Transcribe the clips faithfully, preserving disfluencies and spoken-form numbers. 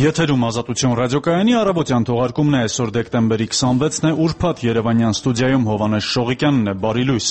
Եթերում Ազատություն ռադիոկայանի առավոտյան թողարկումն է, այսօր դեկտեմբերի քսանվեցն է, ուրբաթ Երևանյան ստուդիայում Հովհաննես Շողիկյանն է, բարի լույս։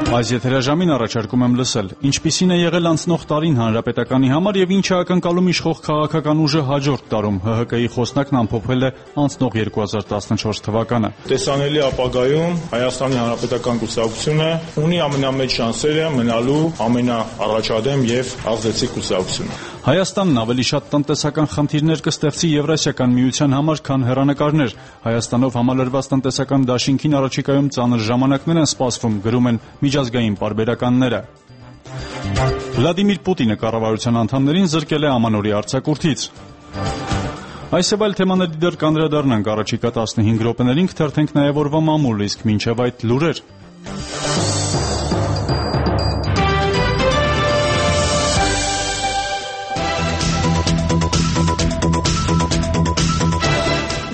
Այս եթերաժամին առաջարկում եմ լսել, ինչպիսին է եղել անցնող տարին հանրապետականի համար եւ ինչ է ակնկալում իշխող քաղաքական ուժը հաջորդ տարում։ ՀՀԿ-ի խոսնակն ամփոփել է անցնող երկու հազար տասնչորս թվականը։ Տեսանելի ապագայում Հայաստանի Հանրապետական կուսակցությունը ունի ամենամեծ շանսերը մնալու ամենաառաջադեմ եւ ազդեցիկ կուսակցությունը։ Հայաստանն ավելի շատ տնտեսական խնդիրներ կստեղծի Եվրասիական միության համար, քան հեռանկարներ։ Հայաստանով համալրված տնտեսական դաշինքին առաջիկայում ծանր ժամանակներ են սպասվում, գրում են միջազգային պարբերականները։ Վլադիմիր Պուտինը կառավարության անդամներին զրկել է ամանորի արձակուրդից։ Այս եւ այլ թեմաների դեռ կանդրադառնանք առաջիկա տասնհինգ րոպեներին, կթերթենք նաեւ օրվա մամուլ, իսկ մինչեւ այդ լուրեր։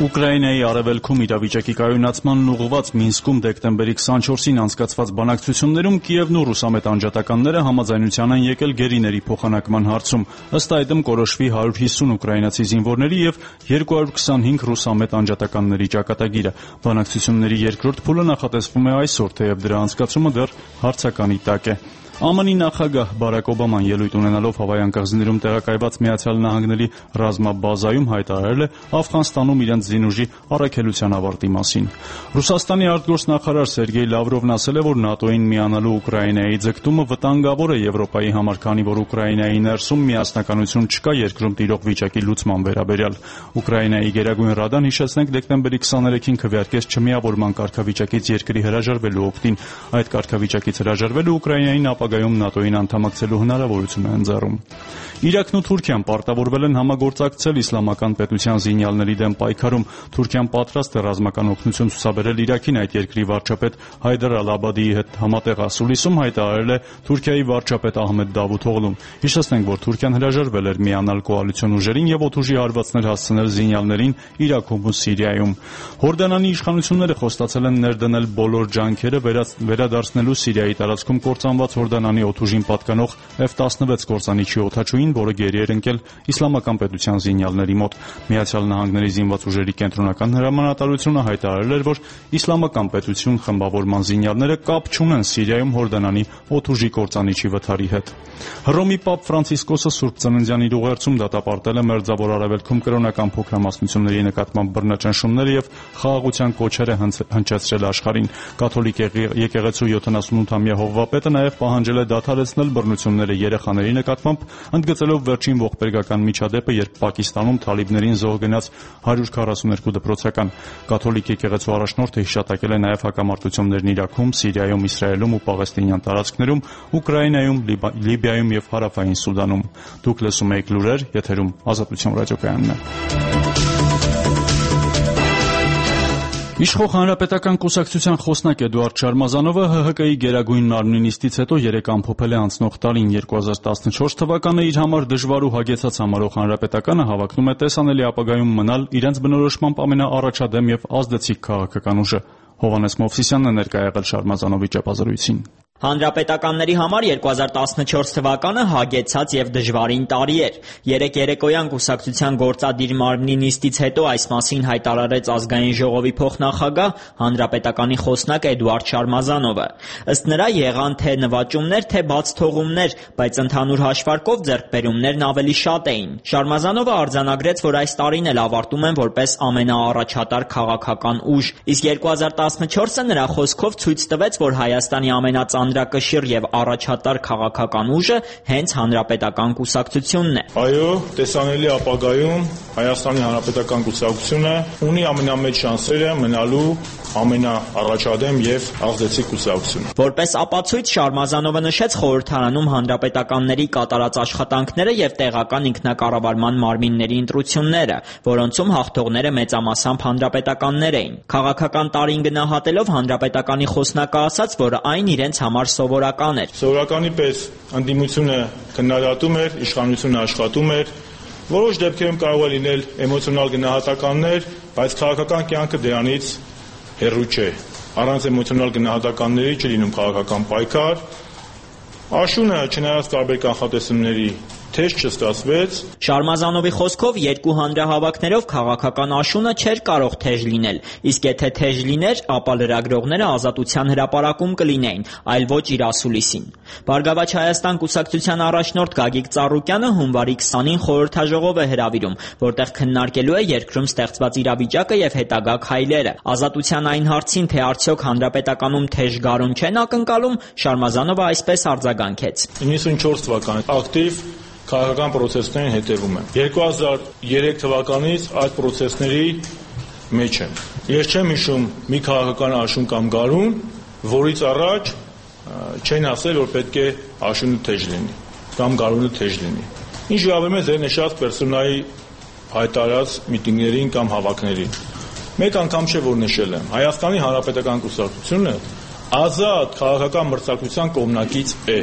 Ուկրաինայի արևելքում իրավիճակի կայունացմանն ուղղված Մինսկում դեկտեմբերի քսանչորսին անցկացված բանակցություններում Կիևն ու ռուսամետ անջատականները համաձայնության են եկել գերիների փոխանակման հարցում։ Ըստ այդմ կորոշվի հարյուր հիսուն ուկրաինացի զինվորների եւ երկու հարյուր քսանհինգ ռուսամետ անջատականների ճակատագիրը։ Բանակցությունների երկրորդ փուլը նախատեսվում է այսօր, թեև դրա անցկացումը դեռ հարցականի տակ է։ ԱՄՆ-ի նախագահ Բարակ Օբաման ելույթ ունենալով Հավայան կղզիներում տեղակայված Միացյալ Նահանգների ռազմաբազայում հայտարարել է Աֆղանստանում իրենց զինուժի առաքելության ավարտի մասին։ Ռուսաստանի արտգործնախարար Սերգեյ Լավրովն ասել է, որ ՆԱՏՕ-ին միանալու Ուկրաինայի ձգտումը վտանգավոր է Եվրոպայի համար, քանի որ Ուկրաինայի ներսում միասնականություն չկա երկրում տիրող վիճակի լուծման վերաբերյալ։ Ուկրաինայի Գերագույն Ռադան, հիշեցնենք, դեկտեմբերի քսաներեքին քվեարկեց չմիավորման կարգավիճակից երկրի հրաժարվելու օգտին։ Այդ կարգավիճակից հրաժարվելու Ուկրաինային ապագայում ՆԱՏՕ-ին անդամակցելու հնարավորություն է ընձեռում։ Իրաքն ու Թուրքիան պարտավորվել են համագործակցել իսլամական պետության զինյալների դեմ պայքարում։ Թուրքիան պատրաստ է ռազմական օգնություն ցուցաբերել Իրաքին, այդ երկրի վարչապետ Հայդար Ալ-Աբադիի հետ համատեղ ասուլիսում հայտարարել է Թուրքիայի վարչապետ Ահմեդ Դավութօղլուն։ Հիշեցնենք, որ Թուրքիան հրաժարվել էր միանալ կոալիցիոն ուժերին եւ օդուժի հարվածներ հասցնել զինյալներին Իրաքում ու Սիրիայում։ Հորդանանի իշխանությունները խոստացել են ներդնել բոլոր ջանքերը վերադարձնելու Սիրիայի տարածքում կործանված Հորդանանի օդուժին պատկանող Էֆ տասնվեց կործանիչի օդաչուին, որը գերի էր ընկել իսլամական պետության զինյալների մոտ։ Միացյալ Նահանգների զինված ուժերի կենտրոնական հրամանատարությունը հայտարարել էր, որ իսլամական պետություն խմբավորման զինյալները կապ չունեն Սիրիայում Հորդանանի օդուժի կործանիչի վթարի հետ։ Հռոմի Պապ Ֆրանցիսկոսը Սուրբ Ծննդյան իր ուղերձում դատապարտել է Մերձավոր Արևելքում կրոնական փոքրամասնությունների նկատմամբ բռնաճնշումները եւ խաղաղության կոչեր է հնչեցրել աշխարհին։ Կաթոլիկ եկեղեցու յոթանասունութամյա հովվապետը նաեւ պահանջել է դադարեցնել բռնությունները երեխաների նկատմամբ, ընդգծելով վերջին ողբերգական միջադեպը, երբ Պակիստանում թալիբներին զոհ գնաց հարյուր քառասուներկու դպրոցական։ Կաթոլիկ եկեղեցու առաջնորդը հիշատակել է նաև հակամարտություններն Իրաքում, Սիրիայում, Իսրայելում ու Պաղեստինյան տարածքներում, Ուկրաինայում, Լիբիայում եւ Հարավային Սուդանում։ Դուք լսում եք լուրեր, եթերում Ազատություն ռադիոկայանն է։ Իշխող Հանրապետական կուսակցության խոսնակ Էդուարդ Շարմազանովը ՀՀԿ-ի Գերագույն մարմնի նիստից հետո երեկ ամփոփել է անցնող տարին երկու հազար տասնչորս թվականը իր համար դժվար ու հագեցած համարող Հանրապետականը հավակնում է տեսանելի ապագայում մնալ իրենց բնորոշմամբ ամենաառաջադեմ եւ ազդեցիկ քաղաքական ուժը։ Հովհաննես Մովսիսյանն է ներկա եղել Շարմազանովի ճեպազրույցին։ Հանրապետականների համար երկու հազար տասնչորս թվականը հագեցած եւ դժվարին տարի էր։ Երեք երեկոյան կուսակցության գործադիր մարմնի նիստից հետո այս մասին հայտարարեց Ազգային ժողովի փոխնախագահ Հանրապետականի խոսնակ Էդուարդ Շարմազանովը։ Ըստ նրա եղան թե նվաճումներ, թե բացթողումներ, բայց ընդհանուր հաշվարկով ձեռքբերումներն ավելի շատ էին։ Շարմազանովը արձանագրեց, որ այս տարին էլ ավարտում են որպես ամենաառաջատար քաղաքական ուժ, իսկ երկու հազար տասնչորսը նրա խոսքով ցույց տվեց, որ Հայաստանի ամենածանր Անդրակշիռ եւ առաջատար քաղաքական ուժը հենց Հանրապետական կուսակցությունն է։ Այո, տեսանելի ապագայում Հայաստանի Հանրապետական կուսակցությունը ունի ամենամեծ շանսերը մնալու ամենաառաջադեմ եւ ազդեցիկ կուսակցությունը։ Որպես ապացույց Շարմազանովը նշեց խորհրդարանում հանրապետականների կատարած աշխատանքները եւ տեղական ինքնակառավարման մարմինների ընտրությունները, որոնցում հաղթողները մեծամասամբ հանրապետականներ էին։ Քաղաքական տարին գնահատելով Հանրապետականի խոսնակը ասաց, որ այն իրենց համար սովորական էր։ Սովորականի պես ընդդիմությունը քննադատում էր, իշխանությունը աշխատում էր։ Որոշ դեպքերում կարող է լինել էմոցիոնալ գնահատականներ, բայց քաղաքական կյանքը դրանից հեռու չէ։ Առանց էմոցիոնալ գնահատականների չի լինում քաղաքական պայքար։ Աշունը, չնայած տարբեր կանխատեսումների, թեժ չստացվեց։ Շարմազանովի խոսքով երկու հանրահավաքներով քաղաքական աշունը չէր կարող թեժ լինել, իսկ եթե թեժ լիներ, ապա լրագրողները ազատության հրապարակում կլինեին, այլ ոչ Իրասուլիսին։ Բարգավաճ Հայաստան կուսակցության առաջնորդ Գագիկ Ծառուկյանը հունվարի քսանին խորհրդաժողով է հրավիրում, որտեղ քննարկելու է երկրում ստեղծված իրավիճակը եւ հետագա քայլերը։ Ազատության այն հարցին, թե արդյոք հանրապետականում թեժ գարուն չեն ակնկալում, Շարմազանովը այսպես արձագանքեց. իննսունչորս թվականից ակտիվ քաղաքական պրոցեսներին հետևում եմ։ երկու հազար երեք թվականից այդ պրոցեսների մեջ եմ։ Ես չեմ հիշում մի քաղաքական աշուն կամ գարուն, որից առաջ չեն ասել, որ պետք է աշունը թեժ լինի կամ գարունը թեժ լինի։ Ինչ վերաբերում է ձեր նշած պերսոնայի հայտարարած միտինգներին կամ հավաքներին։ Մեկ անգամ չէ, որ նշել եմ։ Հայաստանի Հանրապետական կուսակցությունը ազատ քաղաքական մրցակցության կողմնակից է։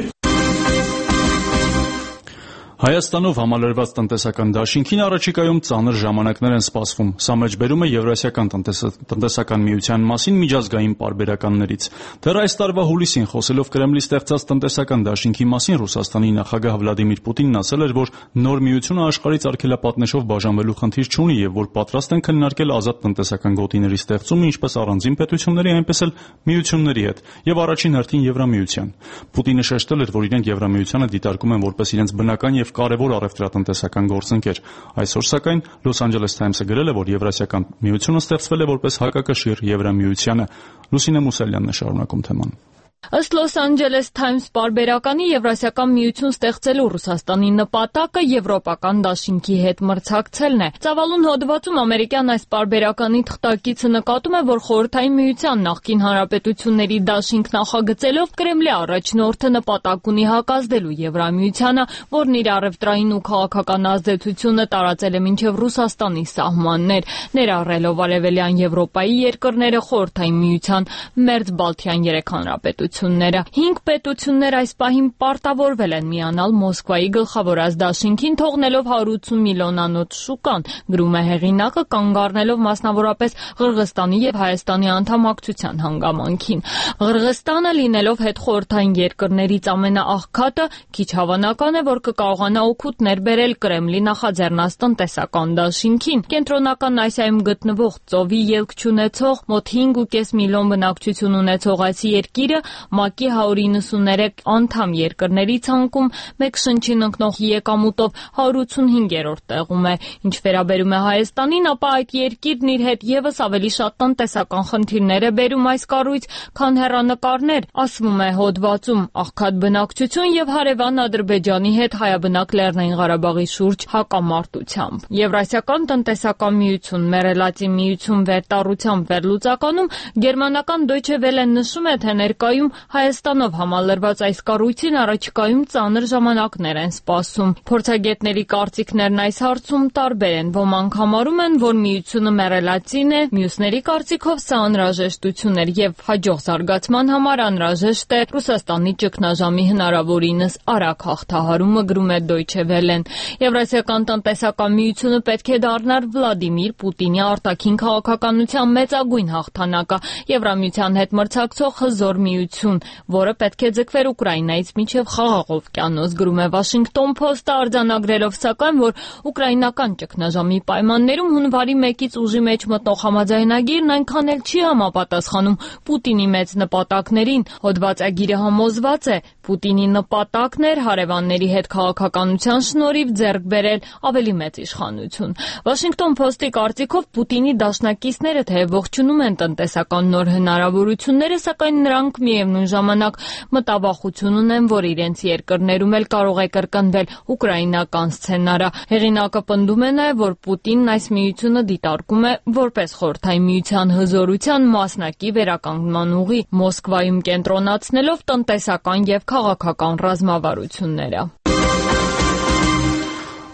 Հայաստանով համալրված տնտեսական դաշինքին առաջիկայում ծանր ժամանակներ են սպասվում։ Սա մեջբերում է Եվրասիական տնտեսական միության մասին միջազգային պարբերականներից։ Դեռ այս տարվա հուլիսին խոսելով Կրեմլի ստեղծած տնտեսական դաշինքի մասին Ռուսաստանի նախագահ Վլադիմիր Պուտինն ասել էր, որ նոր միությունը աշխարհից արգելապատնեշով բաժանվելու խնդիր չունի եւ որ պատրաստ են քննարկել ազատ տնտեսական գոտիների ստեղծումը ինչպես առանձին պետությունների, այնպես էլ միությունների հետ եւ առաջին հերթին Եվրամիության։ Պուտինը շեշտել էր, որ իրենք Եվրամիությանը դիտարկում են որպես իրենց բնական եւ կարևոր առևտրատնտեսական գործընկեր։ Այսօր սակայն Los Angeles Times-ը գրել է, որ Եվրասիական միությունը ստեղծվել է որպես հակակշիռ Եվրամիությանը։ Լուսինե Մուսալյանն է շարունակում թեման։ Ըստ Los Angeles Times պարբերականի Եվրասիական միություն ստեղծելու Ռուսաստանի նպատակը եվրոպական դաշինքի հետ մրցակցելն է։ Ծավալուն հոդվածում ամերիկյան այս պարբերականի թղթակիցը նկատում է, որ Խորհրդային միության նախկին հանրապետությունների դաշինք նախագծելով Կրեմլի առաջնորդը նպատակ ունի հակազդելու Եվրամիությանը, որն իր առևտրային ու քաղաքական ազդեցությունը տարածել է մինչև Ռուսաստանի սահմաններ, ներառելով Արևելյան Եվրոպայի երկրները, Խորհրդային միության մերձբալթյան երեք հանրապետությունները։ Հինգ պետություններ այս պահին պարտավորվել են միանալ Մոսկվայի գլխավորած դաշինքին, թողնելով հարյուր ութսուն միլիոնանոց շուկան, գրում է հեղինակը, կանգ առնելով մասնավորապես Ղրղստանի եւ Հայաստանի անդամակցության հանգամանքին։ Ղրղստանը լինելով հետխորհրդային երկրներից ամենաաղքատը, քիչ հավանական է, որ կկարողանա օգուտ ներբերել Կրեմլի նախաձեռնած տնտեսական դաշինքին։ Կենտրոնական Ասիայում գտնվող ծովի ելք չունեցող մոտ հինգ ու կես միլիոն բնակչություն ունեցող այս երկիրը ՄԱԿ-ի հարյուր իննսուններեք անդամ երկրների ցանկում մեկ շնչին ընկնող եկամուտով հարյուր ութսունհինգերորդ տեղում է։ Ինչ վերաբերում է Հայաստանին, ապա այդ երկիրն իր հետ եւս ավելի շատ տնտեսական խնդիրներ է բերում այս կառույց, քան հեռանկարներ, ասվում է հոդվածում, աղքատ բնակչություն եւ հարևան Ադրբեջանի հետ Հայաբնակ Լեռնային Ղարաբաղի շուրջ հակամարտությամբ։ Եվրասիական տնտեսական միություն, Մերելացի միություն վերտառությամբ վերլուծականում գերմանական Deutsche Welle նշում է, թե ներկայում Հայաստանով համալրված այս կառույցին առաջիկայում ծանր ժամանակներ են սպասում։ Փորձագետների կարծիքներն այս հարցում տարբեր են։ Ոմանք համարում են, որ միությունը մեռելացին է, մյուսների կարծիքով սա անհրաժեշտություն էր եւ հաջող զարգացման համար անհրաժեշտ է Ռուսաստանի ճգնաժամի հնարավորինս արագ հաղթահարումը, գրում է Deutsche Welle-ն։ Եվրասիական տնտեսական միությունը պետք է դառնար Վլադիմիր Պուտինի արտաքին քաղաքականության մեծագույն հաղթանակը, Եվրամիության հետ մրցակցող հզոր միություն, որը պետք է ձգվեր Ուկրաինայից մինչև Խաղաղ օվկիանոս, գրում է Washington Post-ը, արձանագրելով սակայն, որ ուկրաինական ճգնաժամի պայմաններում հունվարի մեկից ուժի մեջ մտնող համաձայնագիրն այնքան էլ չի համապատասխանում Պուտինի մեծ նպատակներին։ Հոդվածագիրը համոզված է, Պուտինի նպատակն էր հարևանների հետ քաղաքականության շնորհիվ ձեռք բերել ավելի մեծ իշխանություն։ Washington Post-ի կարծիքով Պուտինի դաշնակիցները թեև ողջունում են տնտեսական նոր հնարավորությունները, սակայն նրանք միևնույն ժամանակ մտավախություն ունեն, որ իրենց երկրներում էլ կարող է կրկնվել ուկրաինական սցենարը։ Հեղինակը պնդում է նաև, որ Պուտինն այս միությունը դիտարկում է որպես Խորհրդային միության հզորության մասնակի վերականգնման ուղի, Մոսկվայում կենտրոնացնելով տնտեսական եւ քաղաքական ռազմավարությունները։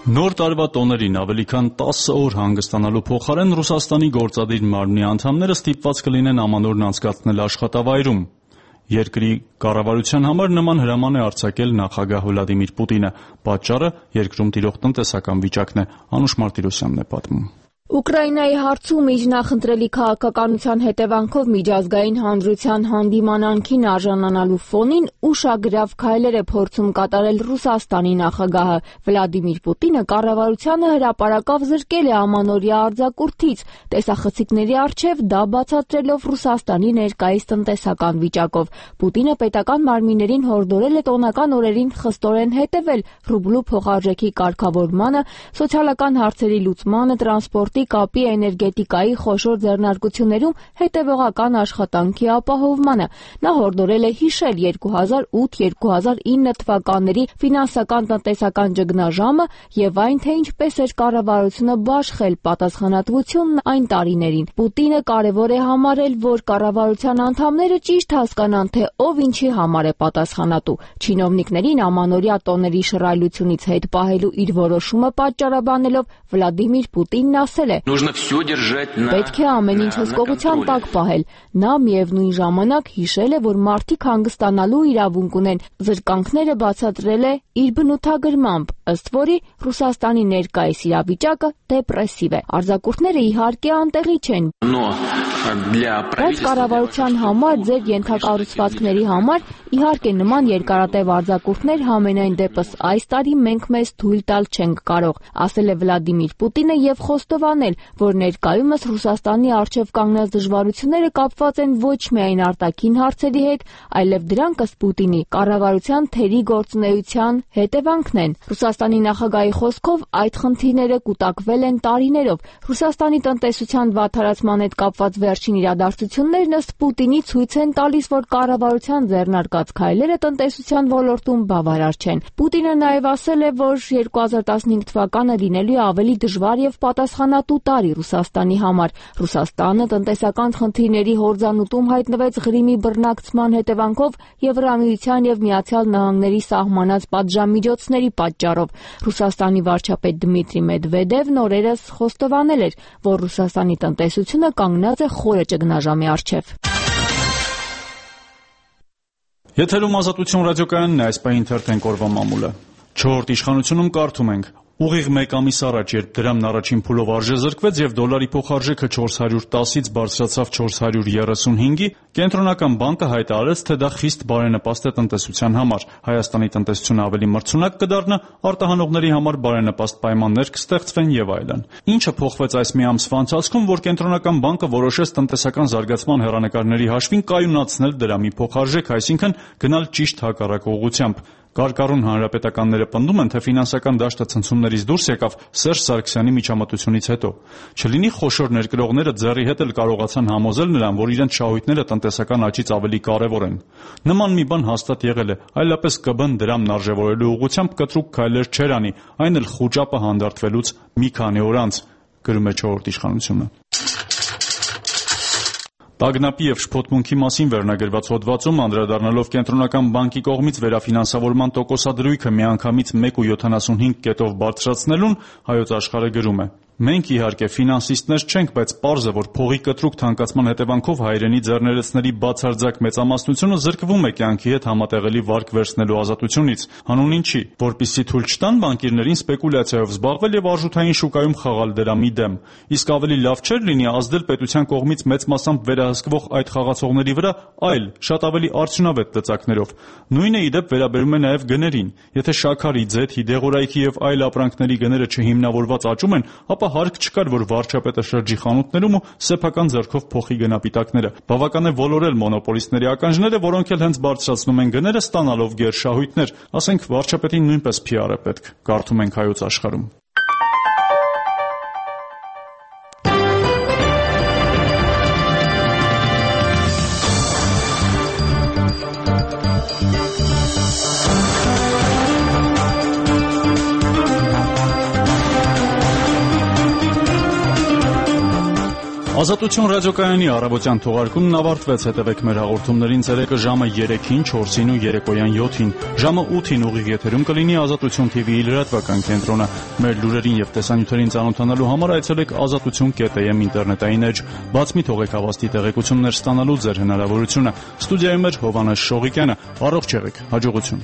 Նոր տարվա տոներին ավելի քան տասը օր հանգստանալու փոխարեն Ռուսաստանի գործադիր մարմնի անդամները ստիպված կլինեն ամանորն անցկացնել աշխատավայրում։ Երկրի կառավարության համար նման հրաման է արձակել նախագահ Վլադիմիր Պուտինը։ Պատճառը երկրում տիրող տնտեսական վիճակն է, Անուշ Մարտիրոսյանն է պատմում։ Ուկրաինայի հարցում իր նախընտրելի քաղաքականության հետևանքով միջազգային հանրության հանդիմանանքին արժանանալու ֆոնին ուշագրավ քայլեր է փորձում կատարել Ռուսաստանի նախագահը։ Վլադիմիր Պուտինը կառավարությանը հրապարակավ զրկել է ամանորյա արձակուրդից, տեսախցիկների առջև դա բացատրելով Ռուսաստանի ներկայիս տնտեսական վիճակով։ Պուտինը պետական մարմիններին հորդորել է տոնական օրերին խստորեն հետևել ռուբլու փոխարժեքի կարգավորմանը, սոցիալական հարցերի լուծմանը, տրանսպորտի, կապի, էներգետիկայի խոշոր ձեռնարկություններում հետևողական աշխատանքի ապահովմանը։ Նա հորդորել է հիշել երկու հազար ութ երկու հազար ինը թվականների ֆինանսական տնտեսական ճգնաժամը եւ այն, թե ինչպես էր կառավարությունը բաշխել պատասխանատվությունն այն տարիներին։ Պուտինը կարևոր է համարել, որ կառավարության անդամները ճիշտ հասկանան, թե ով ինչի համար է պատասխանատու։ Չինովնիկներին ամանորյա տոների շռայլությունից հետ պահելու իր որոշումը պատճառաբանելով Վլադիմիր Պուտինն ասել է. «Պետք է ամեն ինչ հսկողության տակ պահել»։ Նա միևնույն ժամանակ հիշել է, որ մարդիկ հանգստանալու իրավունք ունեն։ Զրկանքները բացատրել է իր բնութագրմամբ, ըստ որի Ռուսաստանի ներկայիս իրավիճակը դեպրեսիվ է։ Արձակուրդները իհարկե անտեղի չեն, բայց կառավարության համար, ձեր ենթակառուցվածքների համար, իհարկե նման երկարատև արձակուրդներ համենայն դեպս այս տարի մենք մեզ թույլ տալ չենք կարող, ասել է Վլադիմիր Պուտինը եւ խոստովանել, որ ներկայումս Ռուսաստանի առջև կանգնած դժվարությունները կապված են ոչ միայն արտաքին հարցերի հետ, այլև դրանք ըստ Պուտինի կառավարության թերի գործունեության հետևանքն են։ Ռուսաստանի նախագահի խոսքով այդ խնդիրները կուտակվել են տարիներով։ Ռուսաստանի տնտեսության վատթարացման հետ կապված վերջին իրադարձություններն ըստ Պուտինի ցույց են տալիս, որ կառավարության ձեռնարկած քայլերը տնտեսության ոլորտում բավարար չեն։ Պուտինը նաև ասել է, որ երկու հազար տասնհինգ թվականը լինելու է ավելի դժվար եւ պատասխանատու տարի Ռուսաստանի համար։ Ռուսաստանը տնտեսական խնդիրների հորձանուտում հայտնվեց Ղրիմի բռնակցման հետևանքով Եվրամիության եւ Միացյալ Նահանգների սահմանած պատժամիջոցների պատճառով։ Ռուսաստանի վարչապետ Դմիտրի Մեդվեդևն օրերս խոստովանել էր, որ Ռուսաստանի տնտեսությունը կանգնած է խորը ճգնաժամի առջև։ Եթերում Ազատություն ռադիոկայանն է, այս պահին թերթենք օրվա մամուլը։ Չորրորդ իշխանությունում կարդում ենք. Ուղիղ մեկ ամիս առաջ, երբ դրամն առաջին փուլով արժեզրկվեց եւ դոլարի փոխարժեքը չորս հարյուր տասից բարձրացավ չորս հարյուր երեսունհինգի, Կենտրոնական բանկը հայտարարեց, թե դա խիստ բարենպաստ է տնտեսության համար։ Հայաստանի տնտեսությունը ավելի մրցունակ կդառնա, արտահանողների համար բարենպաստ պայմաններ կստեղծվեն եւ այլն։ Ինչը փոխվեց այս մի ամսվա ընթացքում, որ Կենտրոնական բանկը որոշեց տնտեսական զարգացման հեռանկարների հաշվին կայունացնել դրամի փոխարժեքը, այսինքն գնալ ճիշտ հակառակ ուղղությամբ։ Կարկառուն հանրապետականները պնդում են, թե ֆինանսական դաշտը ցնցումներից դուրս եկավ Սերժ Սարգսյանի միջամտությունից հետո։ Չլինի խոշոր ներկրողները ձեռի հետ էլ կարողացան համոզել նրան, որ իրենց շահույթները տնտեսական աճից ավելի կարևոր են։ Նման մի բան հաստատ եղել է, այլապես ԿԲ-ն դրամն արժևորելու ուղղությամբ կտրուկ քայլեր չէր անի, այն էլ խուճապը հանդարտվելուց մի քանի օր անց, գրում է չորրորդ իշխանությունը։ Տագնապի եւ շփոթմունքի մասին վերնագրված հոդվածում անդրադառնալով Կենտրոնական բանկի կողմից վերաֆինանսավորման տոկոսադրույքը միանգամից մեկ կoma յոթանասունհինգ կետով բարձրացնելուն Հայոց Աշխարհը գրում է. Մենք իհարկե ֆինանսիստներ չենք, բայց պարզ է, որ փողի կտրուկ թանկացման հետևանքով հայրենի ձեռներեցների բացարձակ մեծամասնությունը զրկվում է կյանքի հետ համատեղելի վարկ վերցնելու ազատությունից։ Հանուն ինչի, որպեսզի թույլ չտան բանկիրներին սպեկուլյացիայով զբաղվել եւ արժութային շուկայում խաղալ դրամի դեմ։ Իսկ ավելի լավ չէր լինի ազդել պետության կողմից մեծ մասամբ վերահսկվող այդ խաղացողների վրա այլ, շատ ավելի արդյունավետ ծծակներով։ Նույնը ի դեպ վերաբերում է նաեւ գներին։ Եթե շաքարի, ձեթի, դեղորայքի եւ այլ ապրանքների գները չհիմնավորված աճում են, ապա հարկ չկար, որ վարչապետը շրջի խանութներում ու սեփական ձեռքով փոխի գնապիտակները։ Բավական է ոլորել մոնոպոլիստների ականջները, որոնք էլ հենց բարձրացնում են գները, ստանալով գերշահույթներ։ Ասենք վարչապետին նույնպես փի առ է պետք, կարդում ենք Հայոց Աշխարհում։ Ազատություն ռադիոկայանի առավոտյան թողարկումն ավարտվեց, հետևեք մեր հաղորդումներին ցերեկը ժամը երեքին, չորսին ու երեկոյան յոթին, ժամը ութին ուղիղ եթերում կլինի Ազատություն թի վիի լրատվական կենտրոնը։ Մեր լուրերին եւ տեսանյութերին ծանոթանալու համար այցելեք ազատություն կետ էմ ինտերնետային էջ, բաց մի թողեք հավաստի տեղեկություններ ստանալու ձեր հնարավորությունը։ Ստուդիայում էր Հովհաննես Շողիկյանը, առողջ եղեք, հաջողություն։